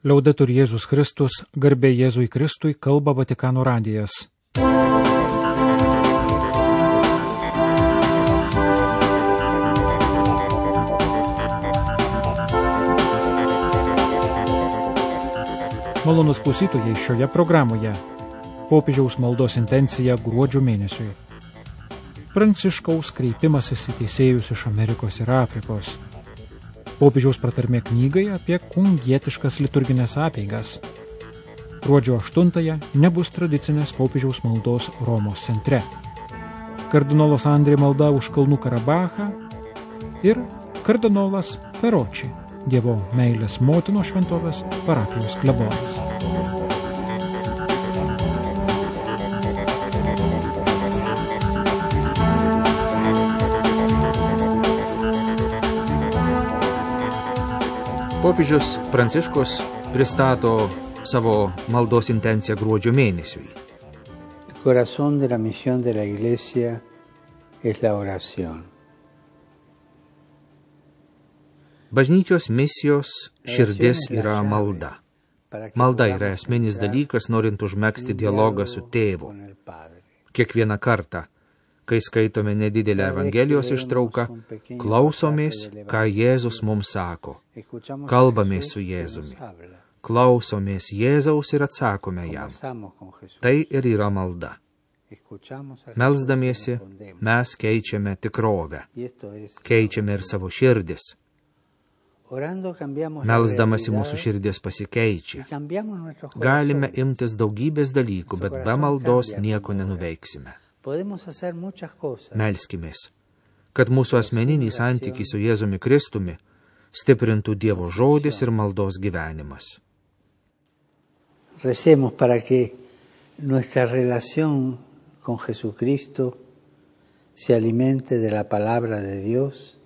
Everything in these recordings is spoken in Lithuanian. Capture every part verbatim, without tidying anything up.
Liaudetur Jėzus Kristus, garbė Jėzui Kristui, kalba Vatikano radijas. Malonus klausytojai, šioje programoje popiežiaus maldos intencija gruodžio mėnesiui. Pranciškaus kreipimasis į teisėjus iš Amerikos ir Afrikos. Popiežiaus pratarmė knygai apie kungietiškas liturginės apeigas. Gruodžio aštuntąją nebus tradicinės popiežiaus maldos Romos centre. Kardinolas Andrė malda už Kalnų Karabachą ir kardinolas Peroči, Dievo meilės motinos šventovės parapijos klebonas. Popiežius Pranciškus pristato savo maldos intenciją gruodžio mėnesiui. El corazón de la misión de la Iglesia es la oración. Bažnyčios misijos širdis yra malda. Malda yra esminis dalykas, norint užmegzti dialogą su tėvu. Kiekvieną kartą, kai skaitome nedidelę Evangelijos ištrauką, klausomės, ką Jėzus mums sako. Kalbamės su Jėzumi. Klausomės Jėzaus ir atsakome jam. Tai ir yra malda. Melsdamiesi, mes keičiame tikrovę. Keičiame ir savo širdis. Melsdamasi mūsų širdis pasikeičia. Galime imtis daugybės dalykų, bet be maldos nieko nenuveiksime. Melskimės, kad mūsų asmeninį santykį su Jėzumi Kristumi stiprintų Dievo žodis ir maldos gyvenimas. Recemos para que nuestra relación con Jesucristo se alimente de la palabra de Dios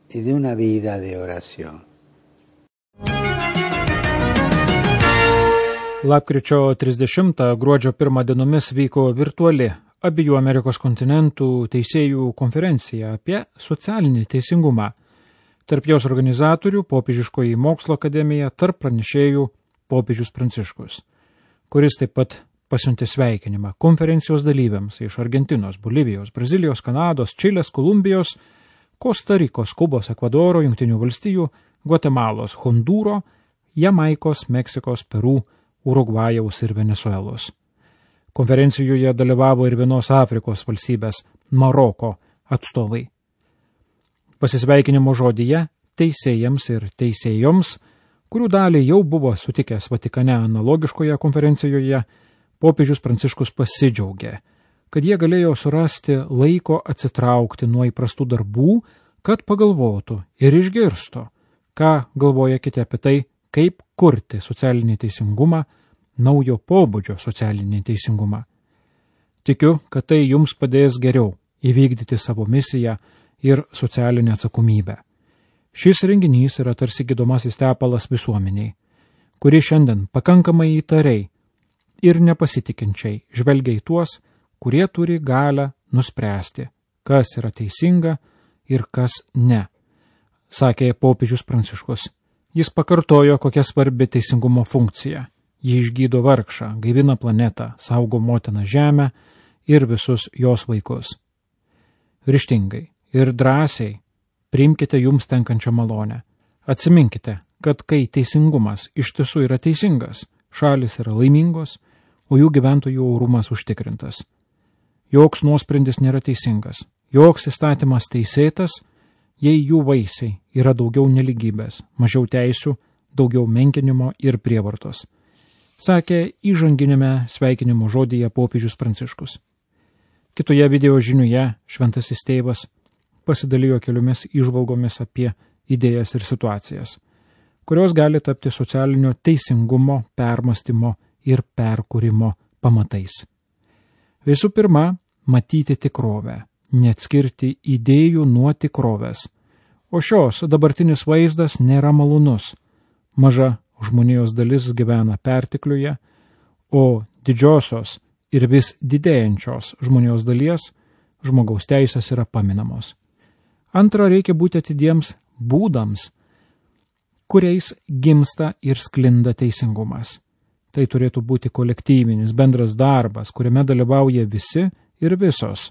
y de una vida de oración. Lapkričio trisdešimtą gruodžio pirmą dienomis vyko virtuali abiejų Amerikos kontinentų teisėjų konferencija apie socialinį teisingumą. Tarp jos organizatorių Popiežiškoji mokslo akademija, tarp pranešėjų popiežius Pranciškus, kuris taip pat pasiuntė sveikinimą konferencijos dalyviams iš Argentinos, Bolivijos, Brazilijos, Kanados, Čilės, Kolumbijos, Kostarikos, Kubos, Ekvadoro, Jungtinių valstijų, Gvatemalos, Hondūro, Jamaikos, Meksikos, Peru, Urugvajaus ir Venesuelos. Konferencijoje dalyvavo ir vienos Afrikos valstybės, Maroko, atstovai. Pasisveikinimo žodyje teisėjams ir teisėjoms, kurių dalį jau buvo sutikęs Vatikane analogiškoje konferencijoje, popiežius Pranciškus pasidžiaugė, kad jie galėjo surasti laiko atsitraukti nuo įprastų darbų, kad pagalvotų ir išgirstų, ką galvoja kiti apie tai, kaip kurti socialinį teisingumą, naujo pobūdžio socialinį teisingumą. Tikiu, kad tai jums padės geriau įvykdyti savo misiją ir socialinę atsakomybę. Šis renginys yra tarsi gydomasis tepalas visuomeniai, kuri šiandien pakankamai įtariai ir nepasitikinčiai žvelgia į tuos, kurie turi galę nuspręsti, kas yra teisinga ir kas ne, sakė popiežius Pranciškus. Jis pakartojo, kokia svarbi teisingumo funkcija. Ji išgydo vargšą, gaivina planetą, saugo motiną žemę ir visus jos vaikus. Ryžtingai ir drąsiai priimkite jums tenkančią malonę. Atsiminkite, kad kai teisingumas iš tiesų yra teisingas, šalis yra laimingos, o jų gyventojų orumas užtikrintas. Joks nuosprendis nėra teisingas, joks įstatymas teisėtas, jei jų vaisiai yra daugiau neligybės, mažiau teisių, daugiau menkinimo ir prievartos, sakė įžanginėme sveikinimo žodyje popiežius Pranciškus. Kitoje video žiniuje šventasis tėvas pasidalijo keliomis įžvalgomis apie idėjas ir situacijas, kurios gali tapti socialinio teisingumo, permąstymo ir perkūrimo pamatais. Visų pirma, matyti tikrovę, neatskirti idėjų nuo tikrovės. O šios dabartinis vaizdas nėra malonus. Maža žmonijos dalis gyvena pertekliuje, o didžiosios ir vis didėjančios žmonijos dalies žmogaus teisės yra paminamos. Antra, reikia būti atidiems būdams, kuriais gimsta ir sklinda teisingumas. Tai turėtų būti kolektyvinis bendras darbas, kuriame dalyvauja visi ir visos,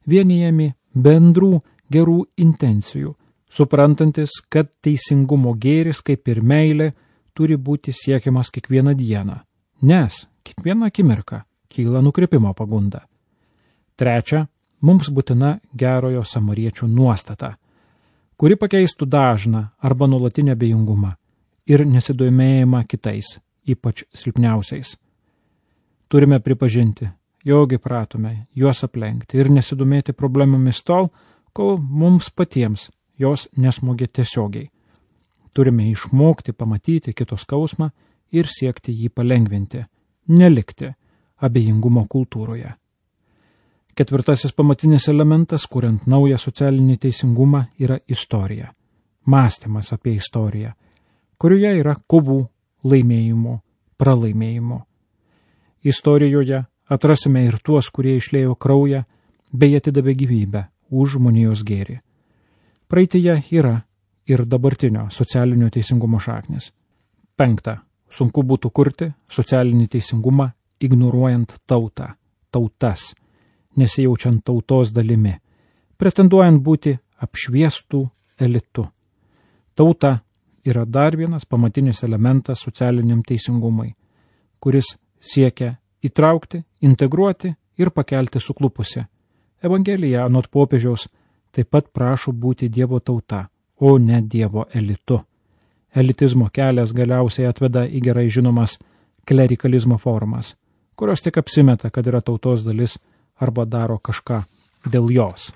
vienijami bendrų gerų intencijų, suprantantis, kad teisingumo gėris, kaip ir meilė, turi būti siekiamas kiekvieną dieną, nes kiekvieną akimirką kyla nukrypimo pagunda. Trečia, mums būtina gerojo samariečio nuostata, kuri pakeistų dažną arba nuolatinę abejingumą ir nesidomėjimą kitais, ypač silpniausiais. Turime pripažinti, jog įpratome juos aplenkti ir nesidomėti problemomis tol, kol mums patiems jos nesmogė tiesiogiai. Turime išmokti pamatyti kito skausmą ir siekti jį palengvinti, nelikti abejingumo kultūroje. Ketvirtasis pamatinis elementas, kuriant naują socialinį teisingumą, yra istorija. Mąstymas apie istoriją, kurioje yra kovų, laimėjimų, pralaimėjimų. Istorijoje atrasime ir tuos, kurie išliejo kraują bei atidavė gyvybę už žmonijos gėrį. Praeityje yra ir dabartinio socialinio teisingumo šaknis. Penkta. Sunku būtų kurti socialinį teisingumą ignoruojant tautą, tautas, nesijaučiant tautos dalimi, pretenduojant būti apšviestų elitu. Tauta yra dar vienas pamatinis elementas socialiniam teisingumui, kuris siekia įtraukti, integruoti ir pakelti suklupusi. Evangelija anot popiežiaus taip pat prašo būti Dievo tauta, o ne Dievo elitu. Elitizmo kelias galiausiai atveda į gerai žinomas klerikalizmo formas, kurios tik apsimeta, kad yra tautos dalis arba daro kažką dėl jos.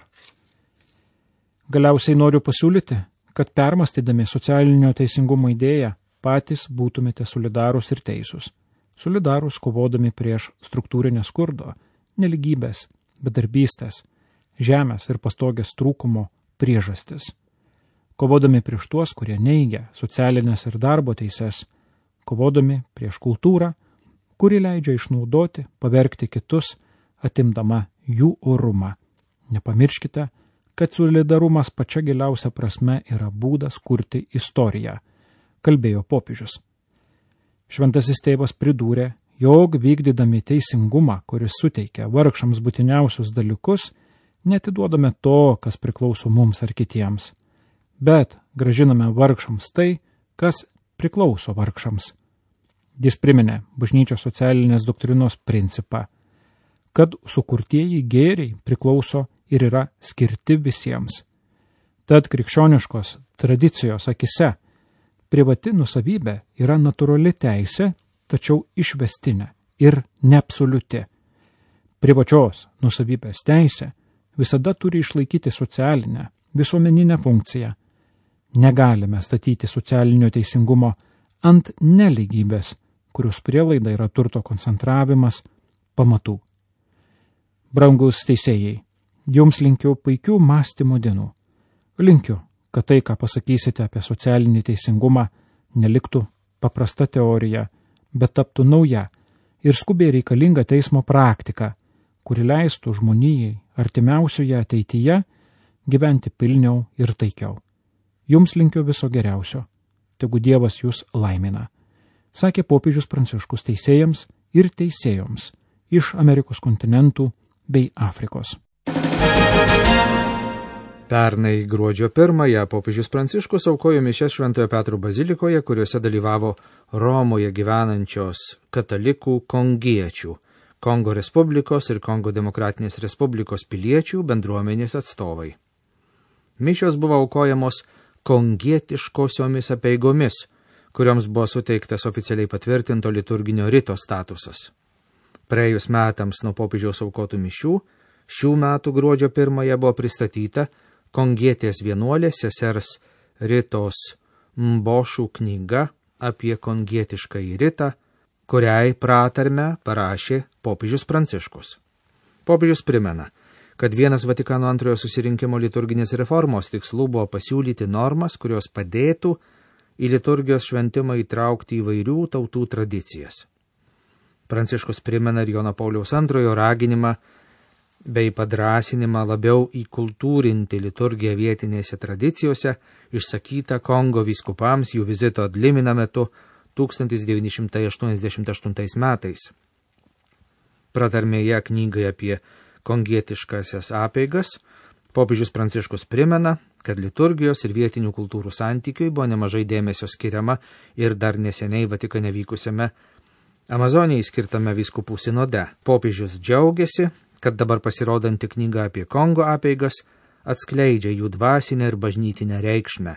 Galiausiai noriu pasiūlyti, kad permastydami socialinio teisingumo idėją patys būtumėte solidarūs ir teisūs. Solidarūs kovodami prieš struktūrinę skurdo, neligybės, bedarbystės, žemės ir pastogės trūkumo priežastis. Kovodami prieš tuos, kurie neigia socialinės ir darbo teises, kovodami prieš kultūrą, kuri leidžia išnaudoti, pavergti kitus, atimdama jų orumą. Nepamirškite, kad solidarumas pačia giliausia prasme yra būdas kurti istoriją, kalbėjo popiežius. Šventasis tėvas pridūrė, jog vykdydami teisingumą, kuris suteikia vargšams būtiniausius dalykus, netiduodame to, kas priklauso mums ar kitiems, bet gražiname vargšams tai, kas priklauso vargšams. Jis priminė bažnyčios socialinės doktrinos principą, kad sukurtieji gėriai priklauso ir yra skirti visiems. Tad krikščioniškos tradicijos akise privati nusavybė yra natūrali teisė, tačiau išvestinė ir neabsoliuti. Privačios nusavybės teisė visada turi išlaikyti socialinę, visuomeninę funkciją. Negalime statyti socialinio teisingumo ant nelygybės, kurios prielaida yra turto koncentravimas, pamatų. Brangus teisėjai, jums linkiu puikių mąstymo dienų. Linkiu, kad tai, ką pasakysite apie socialinį teisingumą, neliktų paprasta teorija, bet taptų nauja ir skubiai reikalinga teismo praktika, kuri leistų žmonijai artimiausioje ateityje gyventi pilniau ir taikiau. Jums linkiu viso geriausio, tegu Dievas jūs laimina, sakė popiežius Pranciškus teisėjams ir teisėjoms iš Amerikos kontinentų bei Afrikos. Pernai gruodžio pirmąją popiežius Pranciškus aukojo mišias Šventojo Petro bazilikoje, kuriuose dalyvavo Romoje gyvenančios katalikų kongiečių, Kongo Respublikos ir Kongo Demokratinės Respublikos piliečių bendruomenės atstovai. Mišios buvo aukojamos kongietiškosiomis apeigomis, kurioms buvo suteiktas oficialiai patvirtinto liturginio rito statusas. Praėjus metams nuo popiežiaus aukotų mišių, šių metų gruodžio pirmąją buvo pristatyta kongietės vienuolės sesers Ritos Mbošų knyga apie kongietiškąjį ritą, kuriai pratarmę parašė popiežius Pranciškus. Popiežius primena, kad vienas Vatikano antrojo susirinkimo liturginės reformos tikslų buvo pasiūlyti normas, kurios padėtų į liturgijos šventimą įtraukti įvairių tautų tradicijas. Pranciškus primena ir Jono Pauliaus antrojo raginimą bei padrasinimą labiau įkultūrinti liturgiją vietinėse tradicijose, išsakyta Kongo vyskupams jų vizito ad limina metu tūkstantis devyni šimtai aštuoniasdešimt aštuntais metais. Pratarmėje knygai apie kongietiškasias apeigas popiežius Pranciškus primena, kad liturgijos ir vietinių kultūrų santykiui buvo nemažai dėmesio skiriama ir dar neseniai Vatikane vykusiame Amazonijai skirtame vyskupų sinode. Popiežius džiaugiasi, kad dabar pasirodanti knyga apie Kongo apeigas atskleidžia jų dvasinę ir bažnytinę reikšmę.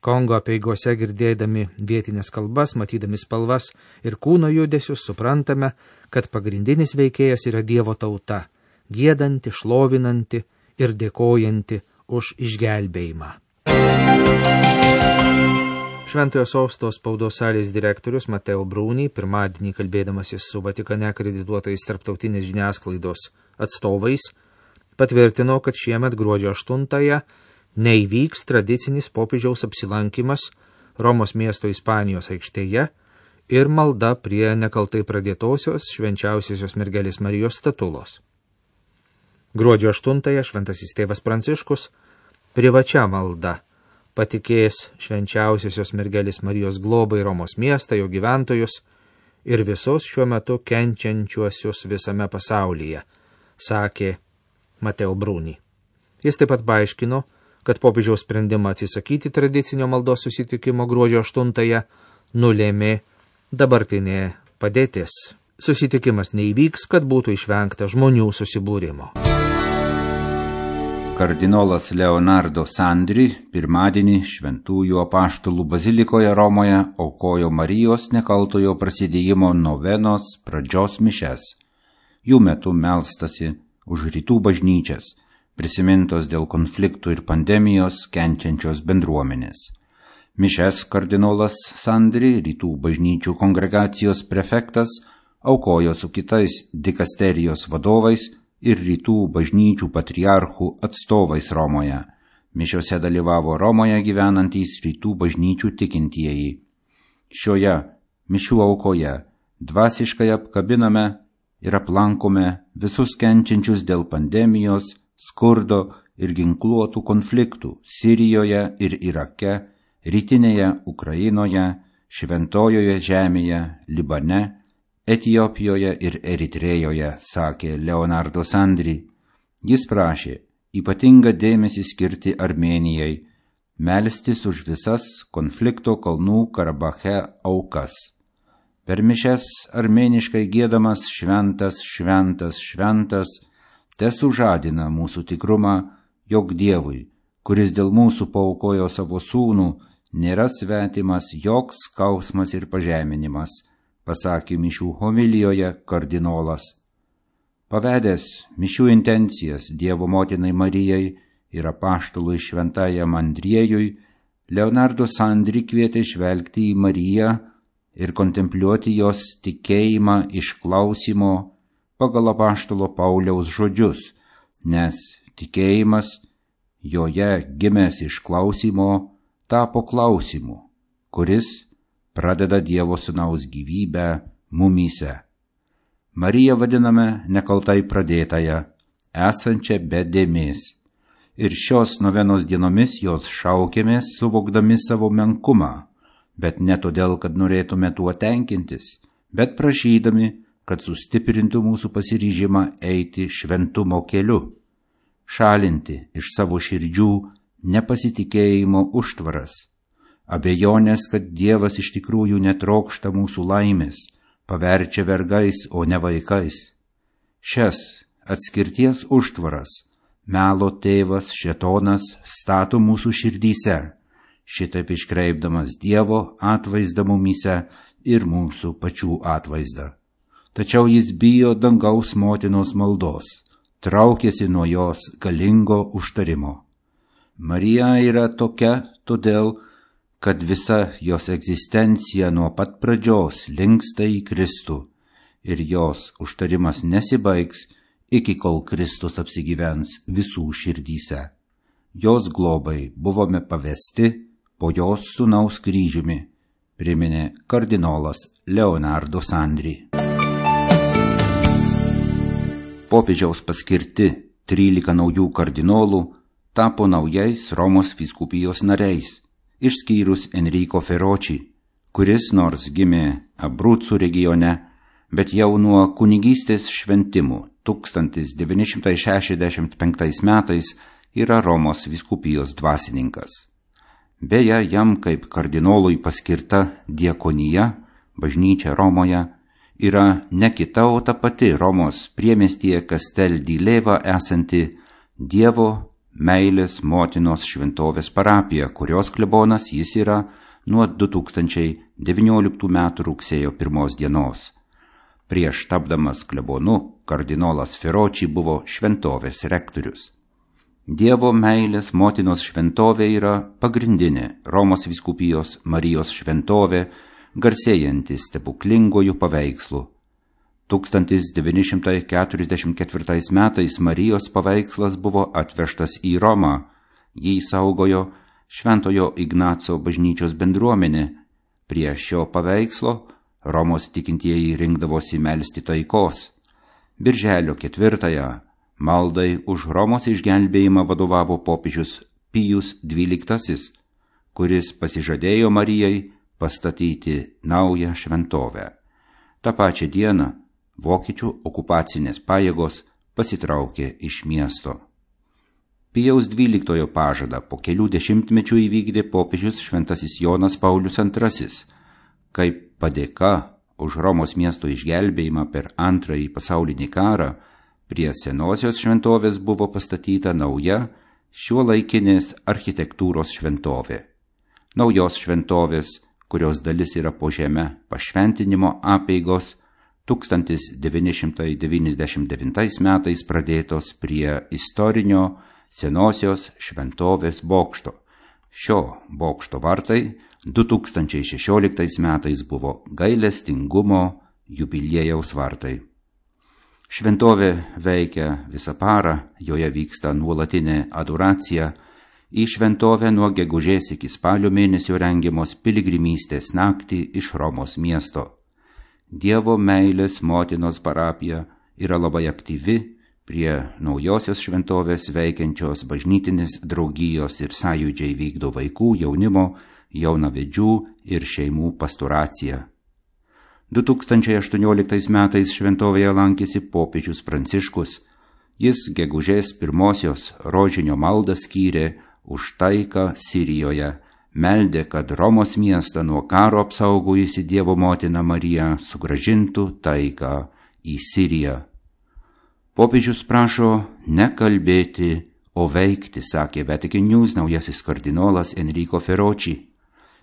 Kongo apeigose girdėdami vietinės kalbas, matydami spalvas ir kūno judesius, suprantame, kad pagrindinis veikėjas yra Dievo tauta, giedanti, šlovinanti ir dėkojanti už išgelbėjimą. Šventojo Sosto spaudos salės direktorius Mateo Bruni pirmadienį kalbėdamasis su Vatikane akredituotais tarptautinės žiniasklaidos atstovais patvirtino, kad šiemet gruodžio aštuntąją neįvyks tradicinis popiežiaus apsilankimas Romos miesto Ispanijos aikštėje ir malda prie nekaltai pradėtosios švenčiausiosios mergelės Marijos statulos. Gruodžio aštuntąją šventasis tėvas Pranciškus privačia malda patikės švenčiausiosios mergelės Marijos globai Romos miestą, jo gyventojus ir visus šiuo metu kenčiančiuosius visame pasaulyje, sakė Mateo Bruni. Jis taip pat paaiškino, kad popiežiaus sprendimą atsisakyti tradicinio maldos susitikimo gruodžio aštuntąją nulėmė dabartinė padėtis. Susitikimas neįvyks, kad būtų išvengta žmonių susibūrimo. Kardinolas Leonardo Sandri pirmadienį Šventųjų apaštalų bazilikoje Romoje aukojo Marijos nekaltojo prasidėjimo novenos pradžios mišes. Jų metu melstasi už rytų bažnyčias, prisimintos dėl konfliktų ir pandemijos kenčiančios bendruomenės. Mišes kardinolas Sandri, rytų bažnyčių kongregacijos prefektas, aukojo su kitais dikasterijos vadovais ir rytų bažnyčių patriarchų atstovais Romoje. Mišiose dalyvavo Romoje gyvenantys rytų bažnyčių tikintieji. Šioje mišių aukoje dvasiškai apkabiname ir aplankome visus kenčiančius dėl pandemijos, skurdo ir ginkluotų konfliktų Sirijoje ir Irake, rytinėje Ukrainoje, Šventojoje žemėje, Libane, Etijopijoje ir Eritrėjoje, sakė Leonardo Sandri. Jis prašė ypatingą dėmesį skirti Armėnijai, melstis už visas konflikto kalnų Karabache aukas. Per mišias armėniškai giedamas šventas, šventas, šventas, te sužadina mūsų tikrumą, jog Dievui, kuris dėl mūsų paaukojo savo sūnų, nėra svetimas joks skausmas ir pažeminimas, pasakė mišių homilijoje kardinolas. Pavedęs mišių intencijas Dievo motinai Marijai ir apaštalui šventajam Andriejui, Leonardo Sandri kvietė žvelgti į Mariją ir kontempliuoti jos tikėjimą išklausimo pagal apaštalo Pauliaus žodžius, nes tikėjimas joje gimęs išklausimo tapo klausimu, kuris pradeda Dievo sūnaus gyvybę mumyse. Mariją vadiname nekaltai pradėtąją, esančią be dėmės. Ir šios novenos dienomis jos šaukėmės, suvokdami savo menkumą, bet ne todėl, kad norėtume tuo tenkintis, bet prašydami, kad sustiprintų mūsų pasiryžimą eiti šventumo keliu, šalinti iš savo širdžių nepasitikėjimo užtvaras, abejonės, kad Dievas iš tikrųjų netrokšta mūsų laimės, paverčia vergais, o ne vaikais. Šias atskirties užtvaras melo tėvas šėtonas stato mūsų širdyse, šitaip iškreipdamas Dievo atvaizdą mumyse ir mūsų pačių atvaizdą. Tačiau jis bijo dangaus motinos maldos, traukiasi nuo jos galingo užtarimo. Marija yra tokia todėl, kad visa jos egzistencija nuo pat pradžios linksta į Kristų ir jos užtarimas nesibaigs, iki kol Kristus apsigyvens visų širdyse. Jos globai buvome pavesti po jos sūnaus kryžiumi, priminė kardinolas Leonardo Sandri. Popiežiaus paskirti trylika naujų kardinolų tapo naujais Romos vyskupijos nariais, išskyrus Enrico Ferrocci, kuris nors gimė Abruzų regione, bet jau nuo kunigystės šventimų tūkstantis devyni šimtai šešiasdešimt penktais metais yra Romos vyskupijos dvasininkas. Beje, jam kaip kardinolui paskirta diakonija, bažnyčia Romoje, yra ne kita, o ta pati Romos priemiestyje Castel di Leva esanti Dievo meilės motinos šventovės parapija, kurios klebonas jis yra nuo du tūkstančiai devynioliktų metų rugsėjo pirmos dienos. Prieš tapdamas klebonu, kardinolas Ferrocci buvo šventovės rektorius. Dievo meilės motinos šventovė yra pagrindinė Romos vyskupijos Marijos šventovė, garsėjanti stebuklingojų paveikslų. tūkstantis devyni šimtai keturiasdešimt ketvirtais metais Marijos paveikslas buvo atvežtas į Romą. Jį saugojo Šventojo Ignaco bažnyčios bendruomenė. Prie šio paveikslo Romos tikintieji rinkdavosi melsti taikos. Birželio ketvirtąją maldai už Romos išgelbėjimą vadovavo popiežius Pijus dvyliktasis, kuris pasižadėjo Marijai pastatyti naują šventovę. Ta pačią dieną vokiečių okupacinės pajėgos pasitraukė iš miesto. Pijaus dvyliktojo pažadą po kelių dešimtmečių įvykdė popiežius šventasis Jonas Paulius antrasis, kaip padėka už Romos miesto išgelbėjimą per antrąjį pasaulinį karą. Prie senosios šventovės buvo pastatyta nauja šiuolaikinės architektūros šventovė. Naujos šventovės, kurios dalis yra po žeme pašventinimo apeigos, tūkstantis devyni šimtai devyniasdešimt devintais metais pradėtos prie istorinio senosios šventovės bokšto. Šio bokšto vartai du tūkstančiai šešioliktais metais buvo gailestingumo jubiliejaus vartai. Šventovė veikia visą parą, joje vyksta nuolatinė adoracija. Į šventovę nuo gegužės iki spalio mėnesio rengiamos piligrimystės naktį iš Romos miesto. Dievo meilės motinos parapija yra labai aktyvi, prie naujosios šventovės veikiančios bažnytinės draugijos ir sąjūdžiai vykdo vaikų, jaunimo, jaunavedžių ir šeimų pastoraciją. du tūkstančiai aštuonioliktais metais šventovėje lankėsi popiežius Pranciškus. Jis gegužės pirmosios rožinio maldą skyrė už taiką Sirijoje, meldė, kad Romos miestą nuo karo apsaugojusi Dievo motina Marija sugrąžintų taiką į Siriją. Popiežius prašo nekalbėti, o veikti, sakė Vatican News naujasis kardinolas Enrico Ferrocci.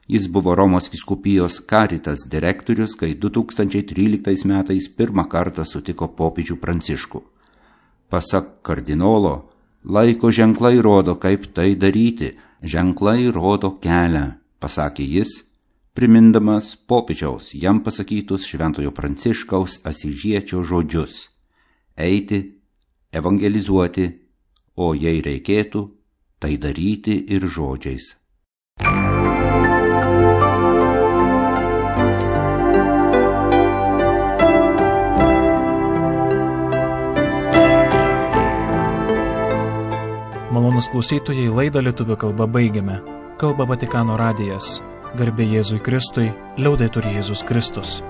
Jis buvo Romos vyskupijos Caritas direktorius, kai du tūkstančiai tryliktais metais pirmą kartą sutiko popiežių Pranciškų. Pasak kardinolo, laiko ženklai rodo, kaip tai daryti, ženklai rodo kelią, pasakė jis, primindamas popiežiaus jam pasakytus Šventojo Pranciškaus Asyžiečio žodžius – eiti, evangelizuoti, o jei reikėtų, tai daryti ir žodžiais. Malonus klausytojai, laidą lietuvių kalba baigiame. Kalba Vatikano radijas. Garbė Jėzui Kristui, liaudetur Jėzus Kristus.